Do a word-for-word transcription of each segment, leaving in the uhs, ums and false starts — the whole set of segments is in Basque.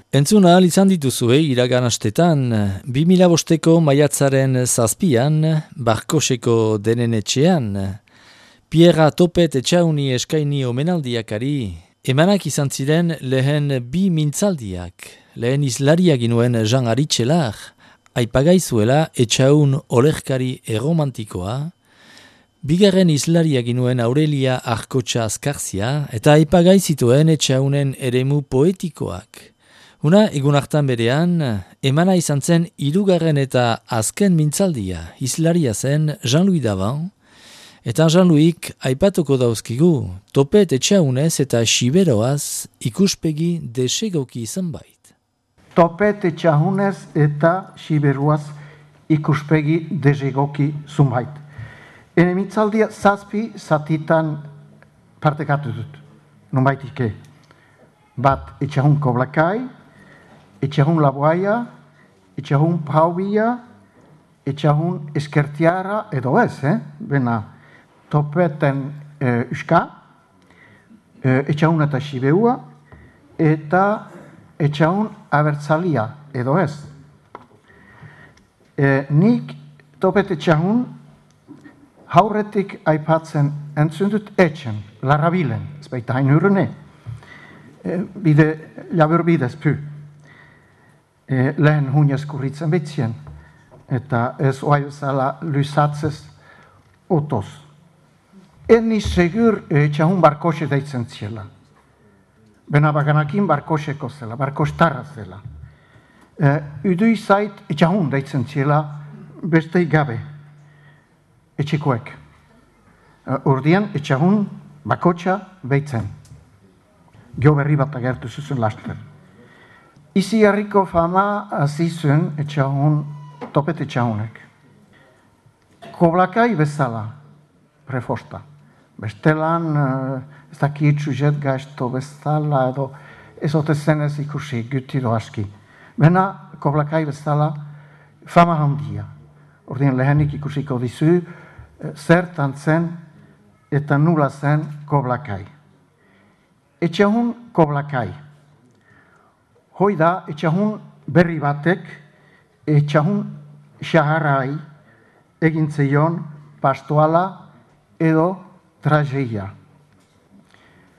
Entzun ahal izan dituzue iragan astetan, bi mila bosteko maiatzaren zazpian, Barkoseko denen etxean, Pierra Topet etxauni eskaini omenaldiakari, emanak izan ziren lehen bi mintzaldiak, lehen izlaria ginuen Jean Aritxelar, aipagaizuela etxaun olerkari erromantikoa, bigarren izlaria ginuen Aurelia Arkotxa Azkarzia, eta aipagai zituen etxaunen eremu poetikoak. Una, egun hartan berean, emana izan zen hirugarren eta azken mintzaldia, izlaria zen Jean-Louis Davan, eta Jean-Louis aipatuko dauzkigu, Topet etxaunez eta Xiberoaz ikuspegi desegoki izan bait. Topet etxaunez eta Xiberoaz ikuspegi desegoki zunbait. Ene mintzaldia zazpi zatitan partekatu dut, nonbaitike. Bat etxahun Koblakai, etxahun Laboaia, etxahun Paubia, etxahun Eskertiara, edo ez, eh? Bena, Topeten e, Uska, e, etxahun eta Xibeua, eta etxahun Abertzalia, edo ez. E, nik Topet etxahun haurretik aipatzen entzundut etxen, Larrabilen, ez baita hain hurrene, e, bide, labur bidez pu. E, lehen hunez kurritzen betzien, eta ez oai bezala lusatzez otoz. Eni segur etxahun Barkose deitzen ziela. Bena baganakin Barkoseko zela, Barkostarra zela. E, Udui zait etxahun deitzen ziela bestei gabe, etxekoek. E, Urdian etxahun Bakotxa beitzen. Gio berri bat agertu zuzun laster. Izi harriko fama azizuen etxahun, Topet etxahunek. Koblakai bezala, prefosta. Bestelan, ez dakit sujet gaizto bezala, edo ez ote zenez ikusi, gutido aski. Bena, Koblakai bezala, fama handia. Ordien lehenik ikusiko dizu, zertan zen eta nula zen Koblakai. Etxahun Koblakai. Hoi da, etxahun berri batek, etxahun xaharrai egin zeion pastoala edo trageia.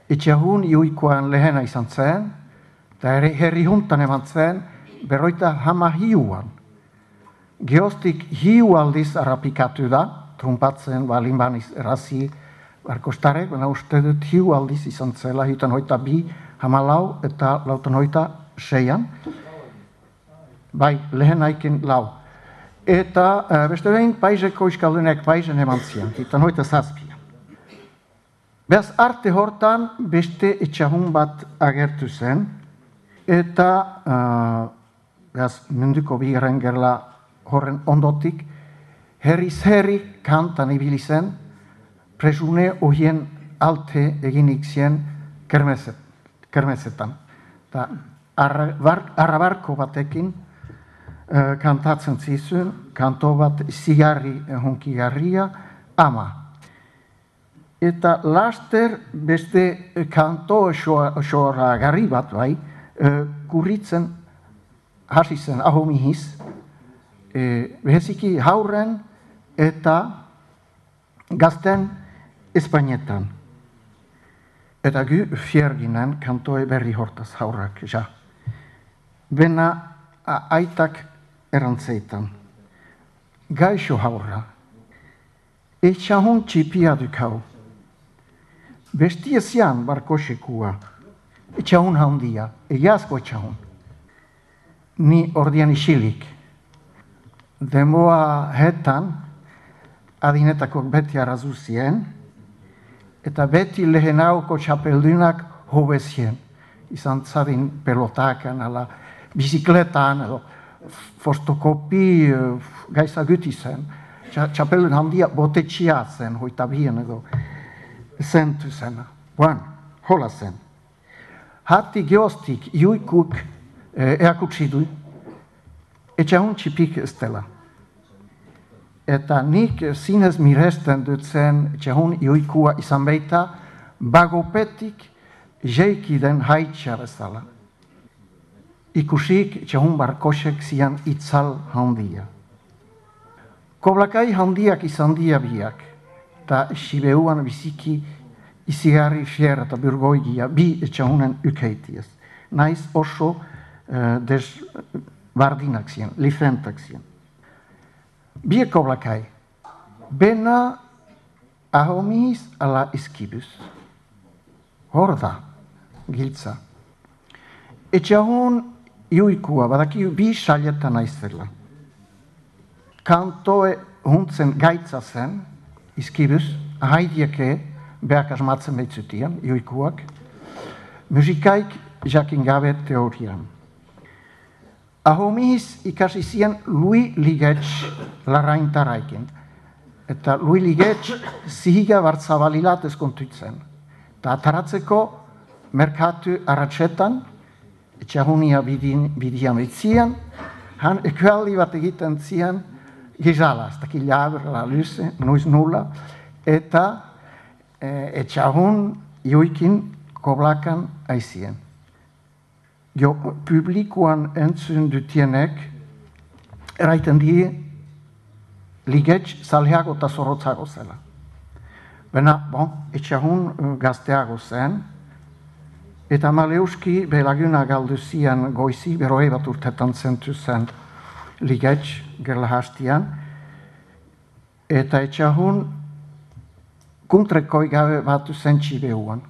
Etxahun iuikoan lehena izan zen, eta herri juntan eman zen, berroita hama hiuan. Geostik hiu aldiz arrapikatu da, trumpatzen balin baniz errazi Barkostarek, baina uste dut hiu aldiz izan zela, hiutan hoita bi, hama lau eta lautan hoita seian, bai, lehen aiken lau. Eta uh, beste behin, paiseko iskaldunek paisen eman zian, hitan hoita zazpia. Beaz, arte hortan beste etxahun bat agertu zen, eta uh, beaz, munduko bigarren gerla horren ondotik, herriz herri kantan ibili zen, presune ohien alte eginik zien kermeset, kermesetan. Ta, arrabarko batekin uh, kantatzen zizun, kanto bat zigarri hunkigarria, ama. Eta laster beste kanto xora garri bat bai, uh, kurritzen hasi zen ahomihiz, uh, beheziki hauren eta gazten Espainetan. Eta gu fierginen kantoe berri hortaz haurrak, ja. Bena aitak erantzeitan. Gaixo haurra. Etxahun txipia dukau. Bestia zian Barkosekua. Etxahun handia. Egiazko etxahun. Ni ordian isilik. Demoa hetan, adinetako beti arrazuzien, eta beti lehenauko txapeldunak hobezien. Izan zadin pelotakan, ala bizikletan, edo fotokopi gaiza guti zen. Txapeldun handia botetxia zen, hoita bien edo zentu zen. Buan, hola zen. Hati geostik iuikuk eakutsi du, etxahun txipik ez dela. Eta nik zinez miresten dut zen etxahun iuikua izan baita bagopetik jeiki den haitxa bezala. ikusik txahun barkosek zian itzal handia. Koblakai handiak izan dia biak, eta sibeuan biziki izigarri fiera eta burgoigia bi txahunen ukeitiaz. Naiz oso uh, desbardinak zian, lifentak zian. Bi koblakai, bena ahomiz ala iskibus. Hor da, giltza. Etxahun iuikua, badaki bi salietan aizela. Kantoe huntzen gaitza zen, iskibus, ahaidieke behak asmatzen behitzutian, iuikuak. Musikaik jakin gabe teorian. Ahomiz ikasi zien Lui Ligetx larraintaraikin. Eta Lui Ligetx zihiga bartzabalilat ezkontuitzen. Eta ataratzeko merkatu arratxetan, etxahunia bidian bitzian, han ekualdi bat egiten zian gizala, ez dakit labra, luze, nuiz nula, eta e, etxahun joikin koblakan aizien. Jo, publikoan entzun dutienek, eraiten die, Ligetx zaleago eta zorrotzago zela. Bena, bon, etxahun gazteago zen, eta Maleuski belaguna galdu zian goizi, beroe bat urtetan zentu zen Ligetx gerla hastian, eta etxahun kuntrekoi gabe batu zen txibeuan.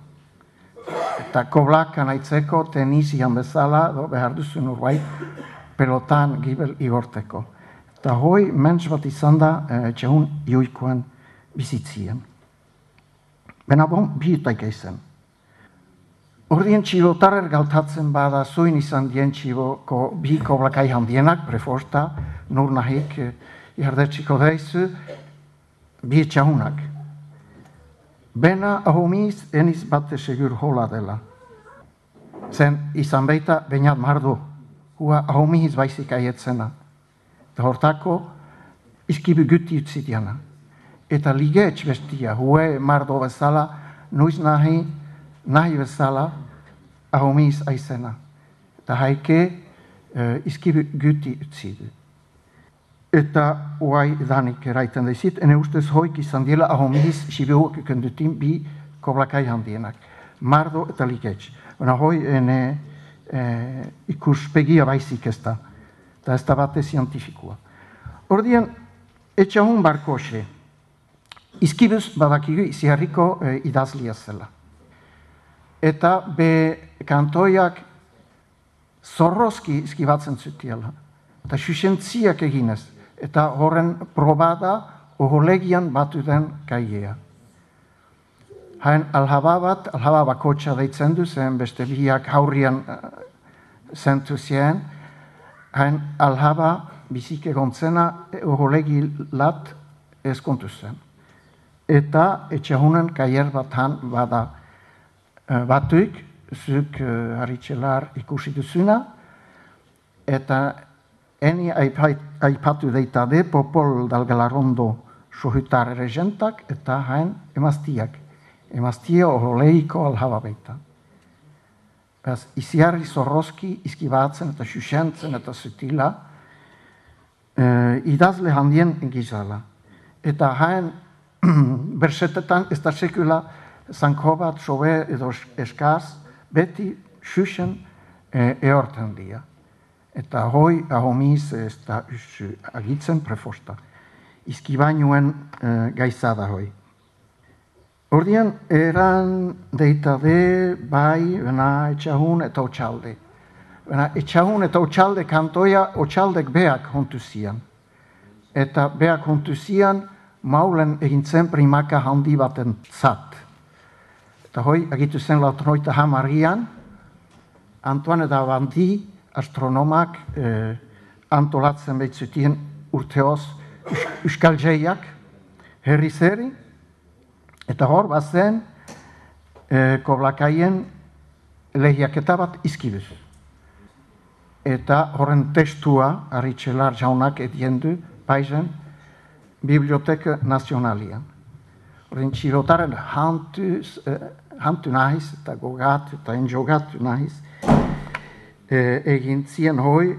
Eta koblakan aitzeko tenizian bezala, do, behar duzun urbait, pelotan gibel igorteko. Eta hoi mentz bat izan da etxahun joikoan bizitzien. Bena bon, bihutaik eizen. Ordien txilotarer galtatzen bada zuin izan dien txiboko bi koblakai handienak, preforta, nur nahik jardetxiko deizu, bi etxahunak. Bena ahomiz eniz bate segur hola dela. Zen izan beita bainat mardu, hua ahomiz baizik aietzena. Eta hortako izkibu guti utzi diana. Eta Ligetx bestia, hue mardo bezala, nuiz nahi, nahi bezala, ahomiz aizena. Eta haike uh, izkibu guti utzi du. Eta uai danik eraiten daizit, ene ustez hoik izan diela ahomiz sibehuak ikendutin bi koblakai handienak. Mardo eta Ligetx. Baina hoi ene eh, ikuspegia baizik ez da. Eta ez da bate zientifikua. Ordien, etxahun barkoxe, izkibuz badakigu iziarriko e, idazlia zela. Eta be kantoiak zorrozki izkibatzen zutiela. Eta susentziak eginez. Eta horren probada oholegian batu den kaiea. Hain alhaba bat, alhaba bakotxa deitzen du, zen beste biak haurrian uh, zentu zien. Hain alhaba bizik egontzena oholegi lat ezkontu zen. Eta etxahunen kaier bat han bada uh, batuik, zuk uh, haritxelar ikusi duzuna, eta eni aipatu deitade popol dalgalarondo sohutar regentak eta hain emaztiak. Emaztia oholeiko alhaba beita. Beaz, iziarri zorrozki izkibatzen eta xuxentzen eta zutila e, idazle handien gizala. Eta hain bersetetan ez da sekula zanko bat, sobe edo eskaz, beti xuxen e, eorten dia. Eta hoi ahomiz ez da agitzen prefosta. Izkibainuen e, gaizada hoi. Ordian, eran deitade bai, bena etxahun eta otxalde. Bena etxahun eta otxalde kantoia otxaldek beak hontu zian. Eta beak hontu zian maulen egintzen primaka handi baten zat. Eta hoi, agitu zen lautroita hamarrian, Antoine da Bandi, astronomak, eh, antolatzen behitzutien urteoz euskalzeiak, herri zeri, eta hor, bazen, e, koblakaien lehiaketa bat izkibuz. Eta horren testua, haritxelar jaunak ediendu, paizen, Biblioteka Nazionalian. Horren txirotaren hantu, eh, hantu nahiz, eta gogatu, eta enjogatu nahiz. e, egin zien hoi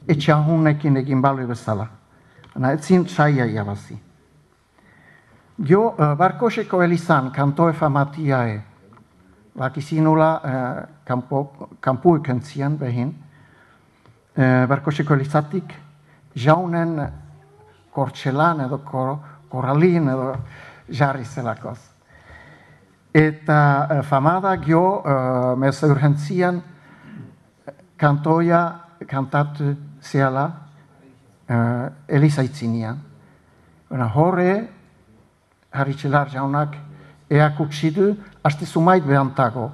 etxahunekin egin balu bezala. Baina ez zin saia jabazi. Gio, uh, Barkoseko elizan kantoe famatiae, bakizinula uh, kampo, kampu ekentzien behin, uh, Barkoseko elizatik jaunen kortxelan edo kor, korralin edo jarri zelakoz. Eta uh, famada gio uh, meza urgentzian kantoia kantatu zeala uh, elizaitzinean. Horre, Haritxelar jaunak eakutsidu, haste sumait behantago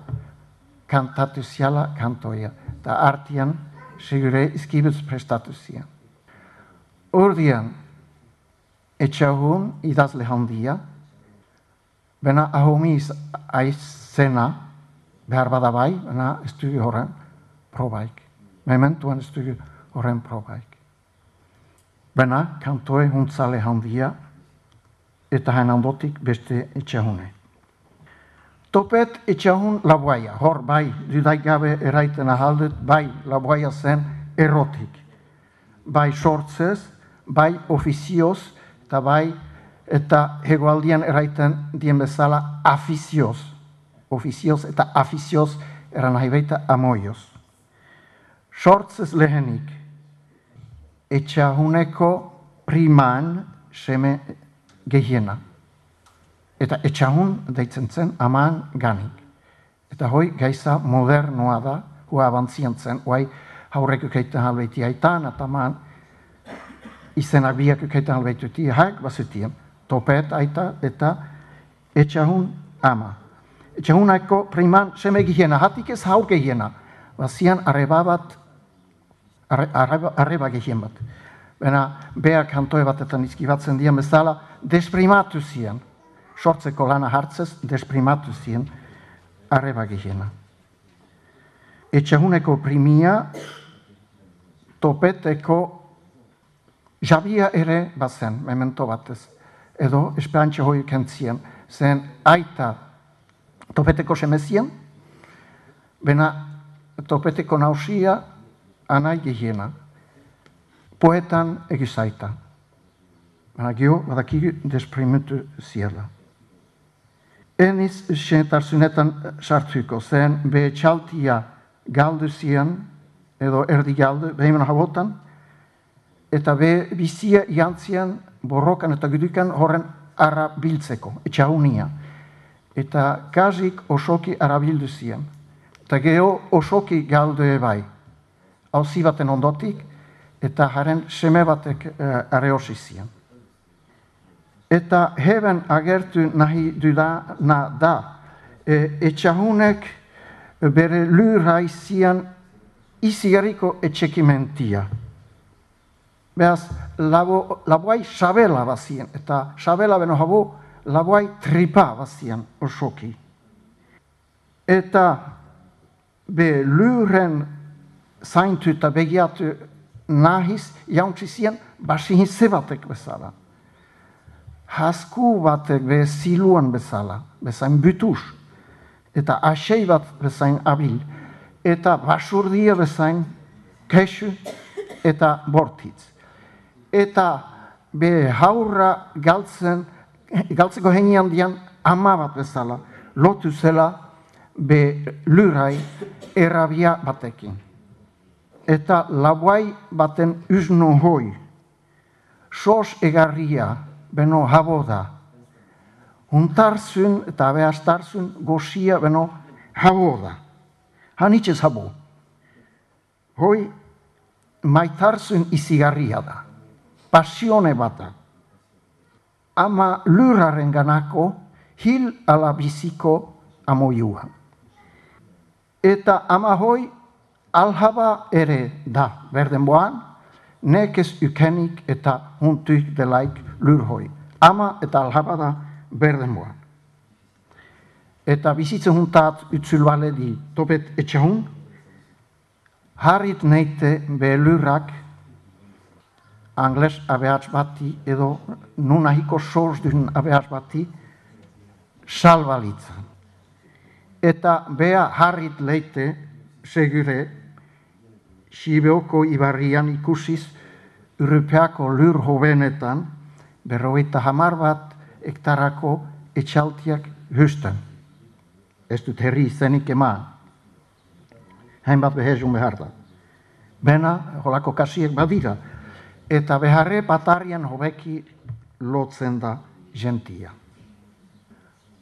kantatu ziala kantoia. Eta artian, segure izkibuz prestatu zian. Ordian, etxahun idazle handia, bena ahomiz aizena, behar badabai, bena estudio horren probaik. Mementuan estudio horren probaik. Bena kantoe huntzale handia, eta hain handotik beste etxahune. Topet etxahun laboaia, hor bai, dudaik gabe eraiten ahaldut, bai laboaia zen erotik. Bai sortzez, bai ofizioz, eta bai, eta hegoaldian eraiten dien bezala afizioz. Ofizioz eta afizioz eran nahi baita amoioz. Sortzez lehenik, etxahuneko priman seme gehiena. Eta etxahun deitzen zen aman ganik. Eta hoi gaiza modernoa da, hua abantzian zen, huai haurek ukeiten halbeiti aitan, eta aman izenak biak ukeiten halbeituti, haik bazutien, topet aita eta etxahun ama. Etxahunako priman seme gehiena, hatik ez haur gehiena, bazian arreba bat, arreba, arreba gehien bat. Bena, beak kantoe batetan izkibatzen dian bezala, desprimatu zian. Sortzeko lana hartzez, desprimatu zian, arreba gehiena. Etxahuneko primia, topeteko jabia ere bazen, memento batez. Edo, esperantxe hoi kentzien, zen aita topeteko semezien, bena topeteko nausia, anai gehiena. Poetan egizaita. Baina gio, badakigu desprimitu ziela. Eniz xenetarzunetan sartuko, zen be txaltia galdu zian, edo erdi galdu, behimen habotan, eta be bizia jantzian borrokan eta gudukan horren arabiltzeko, etxahunia. Eta kazik osoki arabildu zian. Eta geho osoki galdu ebai. Hauzi baten ondotik, eta haren seme batek uh, areosi zian. Eta heben agertu nahi dudana da, e, etxahunek bere lurrai zian izigarriko etxekimentia. Beaz, labo, laboai sabela bazien, eta sabela beno habo laboai tripa bazien osoki. Eta be lurren zaintu eta begiatu nahiz jauntzi zien basihin zebatek bezala. Hasku batek be ziluan bezala, bezain butus, eta asei bat bezain abil, eta basurdia bezain kesu eta bortitz. Eta be haurra galtzen, galtzeko henian dian ama bat bezala, lotu zela be lurai erabia batekin. Eta laboai baten usno hoi, sos egarria, beno habo da. Huntarzun eta abeastarzun goxia beno habo da. Hanitxez habo. Hoi maitarzun izigarria da. Pasione bata. Ama luraren ganako hil ala biziko amoiua. Eta ama hoi alhaba ere da, berdenboan, nekez ukenik eta huntuik delaik lurhoi. Ama eta alhaba da berdenboan. Eta bizitzen huntat utzulbale di topet etxahun, harrit neite be lurrak angles abeatz bati edo nunahiko soz duen abeatz bati salbalitzan. Eta bea harrit leite segure Sibeoko ibarrian ikusiz Europeako lur hobenetan berrogeita hamar bat hektarako etxaltiak husten. Ez dut herri izenik eman. Hainbat behezun behar da. Bena, holako kasiek badira. Eta beharre batarrian hobeki lotzen da gentia.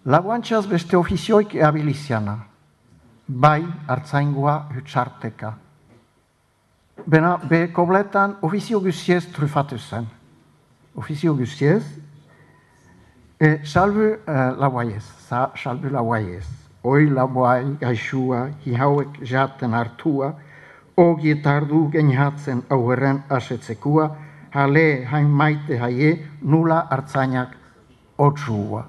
Laguantxaz beste ofizioik eabiliziana. Bai hartzaingoa hutsarteka. Bena, be kobletan ofizio guziez trufatu zen. Ofizio guziez, e, salbu uh, lauaiez, sa, salbu lauaiez. Oi lauai gaixua, hihauek jaten hartua, ogietardu genihatzen auherren asetzekua, hale hain maite haie nula hartzainak otsua.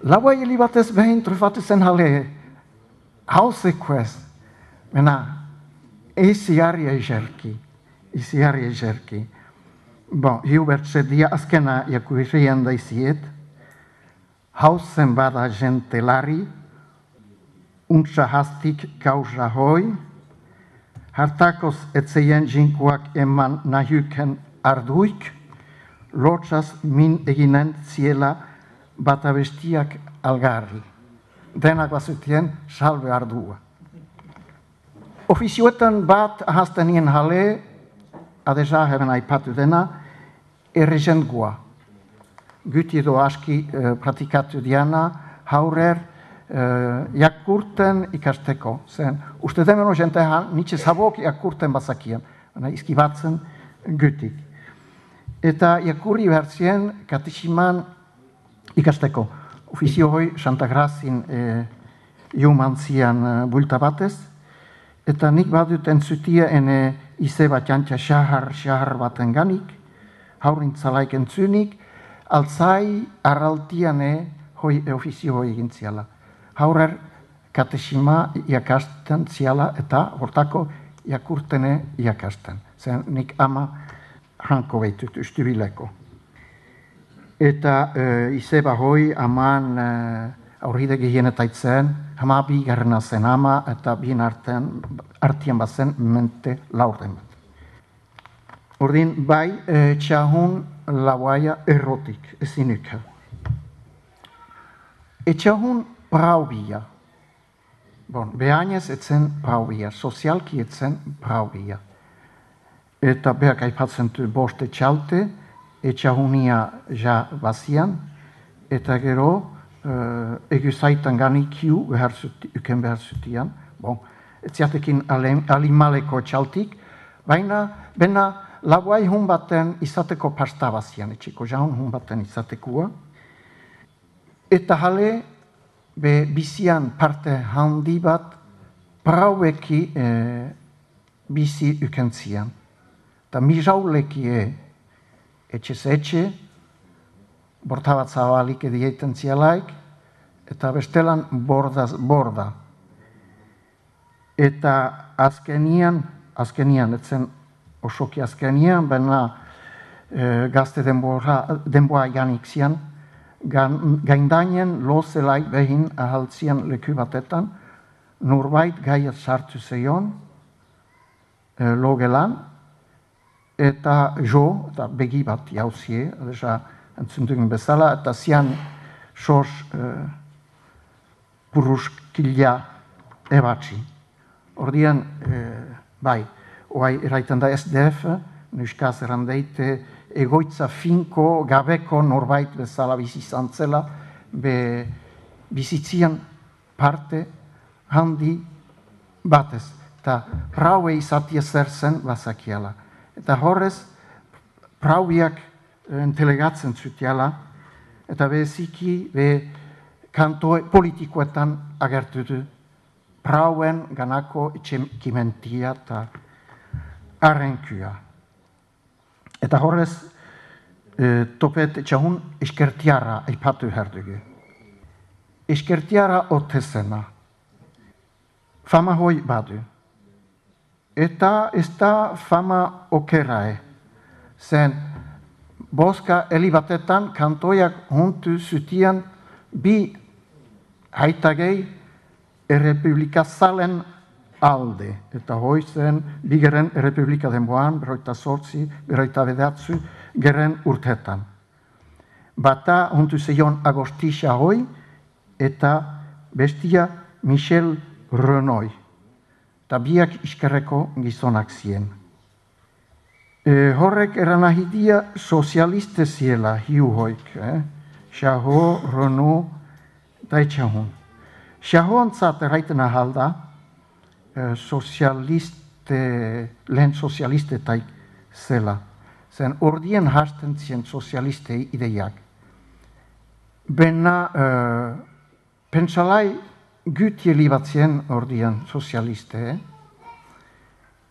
Lauai helibatez behin trufatu zen hale, hausekuez, bena, Eiziarri eizerki, eiziarri eizerki. Bon, Hubert zedia azkena jakuirien daiziet, hauzen bada jentelari, untsa hastik gauza hoi, hartakoz etzeien jinkuak eman nahiuken arduik, lotsaz min eginen ziela batabestiak algarri. Denak bazutien salbe ardua. Ofizioetan bat ahazten nien hale, adeza heben aipatu dena, errezengoa. Guti edo aski eh, pratikatu diana, haurer, eh, jakurten ikasteko. Zen, uste demeno jentean, nitxe zabok jakurten bazakien, izkibatzen gutik. Eta jakurri behartzien katesiman ikasteko. Ofizio hoi Santa Grazin eh, jumantzian eh, bulta batez, eta nik badut entzutia ene ize bat jantza xahar-xahar baten ganik, haurintzalaik entzunik, altzai arraltiane hoi ofizio hoi egin ziala. Haurer katesima iakasten ziala eta hortako jakurtene iakasten. Zen nik ama hanko behitut ustubileko. Eta e, izeba hoi aman e, aurride gehienetaitzen, hama bi garrana zen ama eta bien artean, artian bazen mente laurden bat. Ordin, bai, e, txahun lauaia errotik, ezinuka. Etxahun praubia. Bon, behainez etzen praubia, sozialki etzen praubia. Eta behak aipatzen du boste txalte, etxahunia ja bazian, eta gero, Uh, egu zaitan ganikiu uken behar zutian. Bon, etziatekin alimaleko txaltik, baina bena laguai hun baten izateko pasta bazian, etxeko jaun hun baten izatekua. Eta hale, be bizian parte handi bat, praueki eh, bizi ukentzian. Eta mijauleki e, etxez etxe, borta bat zabalik edieiten zialaik, eta bestelan bordaz borda. Eta azkenian, azkenian, etzen osoki azkenian, baina e, gazte denboa, denboa janik zian, gaindainen lozelaik behin ahaltzian leku batetan, norbait gaiat sartu zeion, e, logelan, eta jo, eta begi bat jauzie, adesa, entzundugun bezala, eta zian sos uh, puruskila ebatzi. Ordian, uh, bai, oai erraiten da S D F, nuskaz errandeite, egoitza finko, gabeko norbait bezala bizizantzela, be bizitzian parte handi batez. Eta praue izatia zer zen bazakiala. Eta horrez, prauiak entelegatzen zutiala, eta beziki be kanto politikoetan agertu du prauen ganako itxekimentia eta arrenkua. Eta horrez, e, topet etxahun eskertiara aipatu herdugu. Eskertiara otezena, fama hoi badu. Eta ez da fama okerae, zen boska elibatetan kantoiak huntu zutian bi haitagei errepublika zalen alde. Eta hoi zen, bigeren Republika denboan, berroita sortzi, berroita bedatzu, geren urtetan. Bata hontu zeion Agostisa hoi, eta bestia Michel Renoi. Eta biak iskerreko gizonak zien. E, horrek eranahidia sozialiste ziela, hiu hoik, eh? Xaho, Renaud, eta etxahun. Xahontzat erraiten ahalda, eh, sozialiste, lehen sozialistetaik zela. Zen ordien hasten zien sozialistei ideiak. Bena, eh, pentsalai gütieli bat zien ordien sozialiste, eh?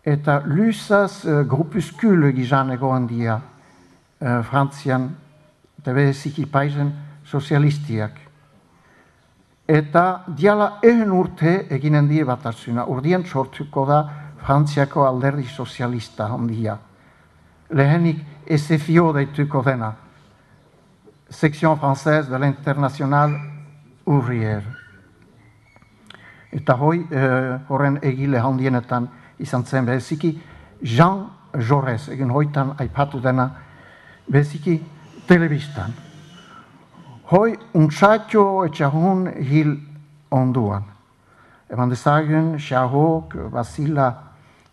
Eta lusaz uh, grupuskule gizan egoan dia uh, Frantzian, eta beziki paizen sozialistiak. Eta diala ehen urte eginen die bat hartzuna, urdien sortuko da Frantziako alderdi sozialista handia. Lehenik S F I O deituko dena, Section Française de l'Internationale Ouvrière. Eta hoi, uh, horren egile handienetan, izan zen beziki Jean Jaurès, egin hoitan aipatu dena beziki telebistan. Hoi untsatio etxahun hil onduan. Eman dezagun, xahok, basila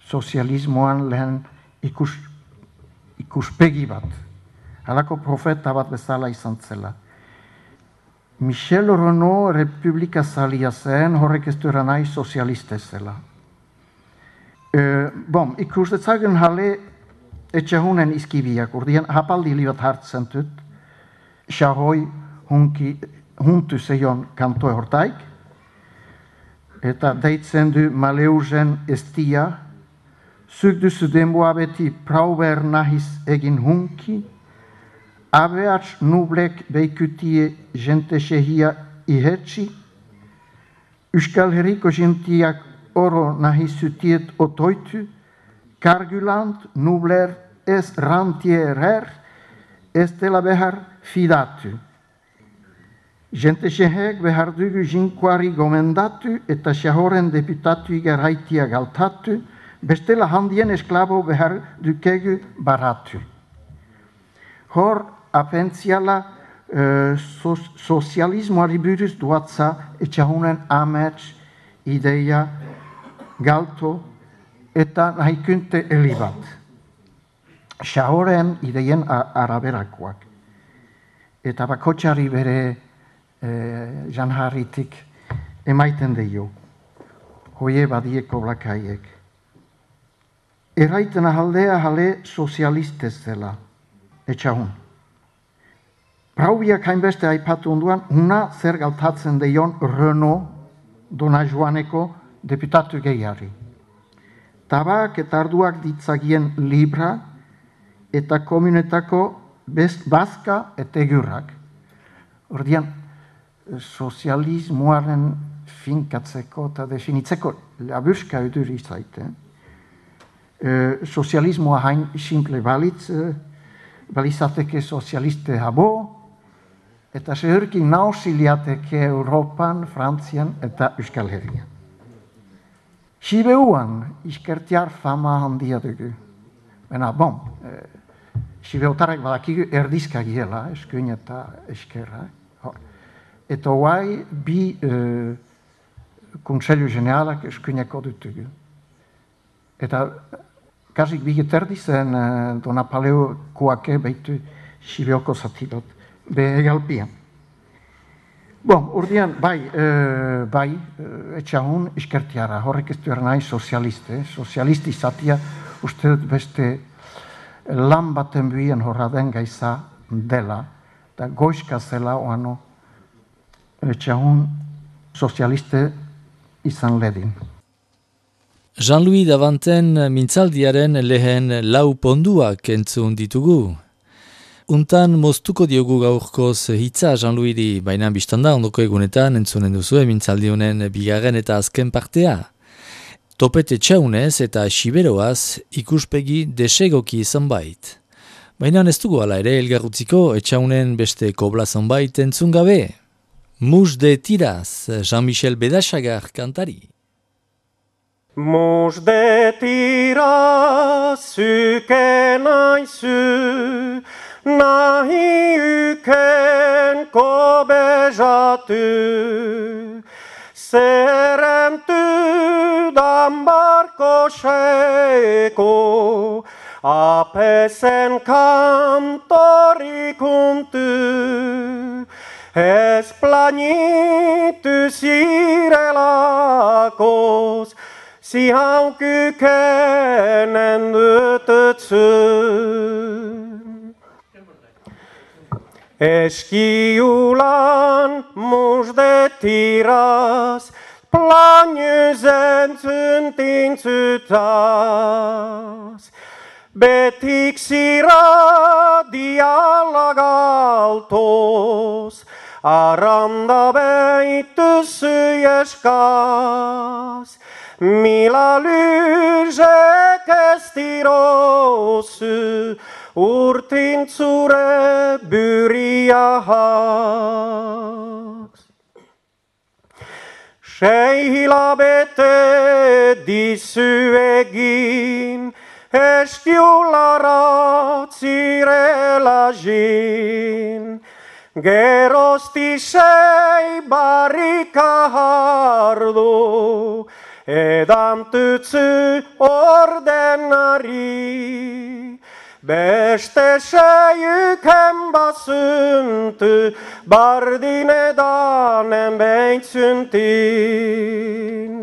sozialismoan lehen ikus, ikuspegi bat. Halako profeta bat bezala izan zela. Michel Renaud Republika zalia zen, horrek ez du eranai sozialiste zela. Uh, bom, ikus detzagen hale etxahunen izkibiak, urdian hapaldi libat hartzen dut, xahoi huntu zeion kantoe hortaik, eta deitzen du maleuzen estia, zuk duzu denboa beti prauber nahiz egin hunki, abeats nublek beikutie jente xehia ihetsi, Euskal Herriko jentiak oro nahi zutiet otoitu, kargulant nubler ez rantierer, ez dela behar fidatu. Gente xehek behar dugu jinkuari gomendatu eta xahoren deputatu igarraitia galtatu, bestela handien esklabo behar dukegu baratu. Hor apentziala uh, so, sozialismoari buruz duatza etxahunen amets ideia galto eta nahikunte elibat. Xahoren ideien araberakoak. Eta bakotxari bere eh, janharritik emaiten deio. Hoie badieko blakaiek. Erraiten ahaldea jale sozialistez dela. Etxahun. Praubiak hainbeste aipatu onduan, una zer galtatzen deion Renaud Dona Joaneko deputatu gehiari. Tabak eta arduak ditzagien libra eta komunetako bazka eta egurrak. Ordian, sozialismoaren finkatzeko eta definitzeko laburska edur izaite. E, sozialismoa hain simple balitz, e, balizateke sozialiste habo, eta zehurkin nausiliateke Europan, Frantzian eta Euskal Herrian. Sibeuan iskertiar fama handia dugu. Baina, bon, e, Sibeotarek badakigu erdizka giela, eskuin eta eskerra. Eta hoai bi e, Kontseilu Generalak eskuineko dutugu. Eta kasik bi geterdi zen e, Dona Paleo kuake behitu Sibeoko zatilot. Be egalpian. Bon, urdian, bai, e, bai, etxahun iskertiara, horrek ez du ernai sozialiste, sozialisti izatia, uste dut beste lan baten buien horra den gaiza dela, eta goizka zela oano etxahun sozialiste izan ledin. Jean-Louis Davanten mintzaldiaren lehen lau ponduak entzun ditugu. Untan moztuko diogu gaurkoz hitza Jean-Louis-di, baina biztanda ondoko egunetan entzunen duzu mintzaldi honen bigarren eta azken partea. Topete txaunez eta siberoaz ikuspegi desegoki zonbait. Baina ez dugu ala ere elgarrutziko etxaunen beste kobla zonbait entzun gabe. Mus de tiraz, Jean-Michel Bedasagar kantari. Mus de tira syke naisu, nahi yken kobejatu. Serentu dambarko sheko, apesen kantorikuntu. Esplanitu sirelakos, si hau kykenen ytötsyn. Eskiulan musde tiras, planyzen syntin sytas. Betiksi radialagaltos, aranda beitysy jeskas. Mila lyse kestirosy, urtin tsure byriahaks. Sheila bete disuegin, eskiulara tsirelajin. Gerosti sei barikahardo, edam tytsy ordenari. Beste sejyken basynty, bardin edanen beitsyntin.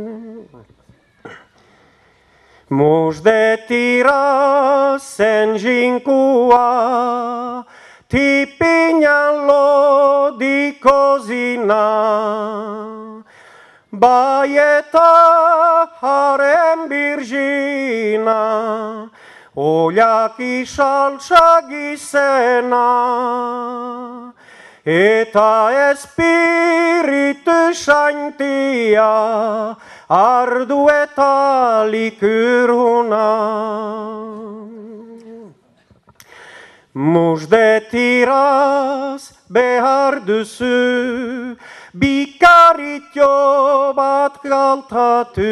Mus de tiras sen jinkua, tipinjallo di cosina. Baieta harem birgina, oljaki saltsa gisena. Eta espiritu saintia, ardu eta likyrhuna. Mus de tiras behar duzu, bikarit jo bat galtatu.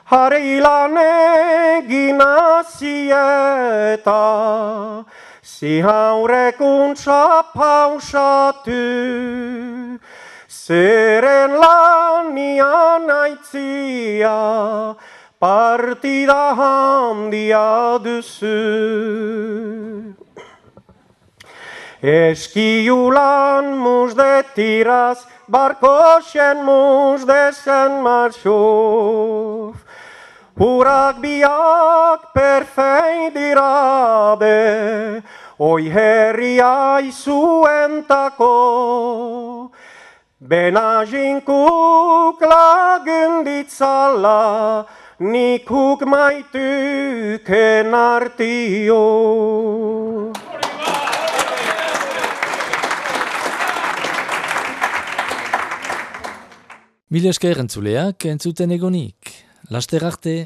Harrilan egin asieta, si haurekuntza pausatu. Zeren lanian aitzia, partida handia duzu. Eskiulan mus de tiras, barkosen mus de sen marxuf. Hurak biak perfei dirabe, oi herria izuentako. Benajinkuk lagunditzala, nik huk maituken artio. Mil esker entzuleak entzuten egonik. Laster arte.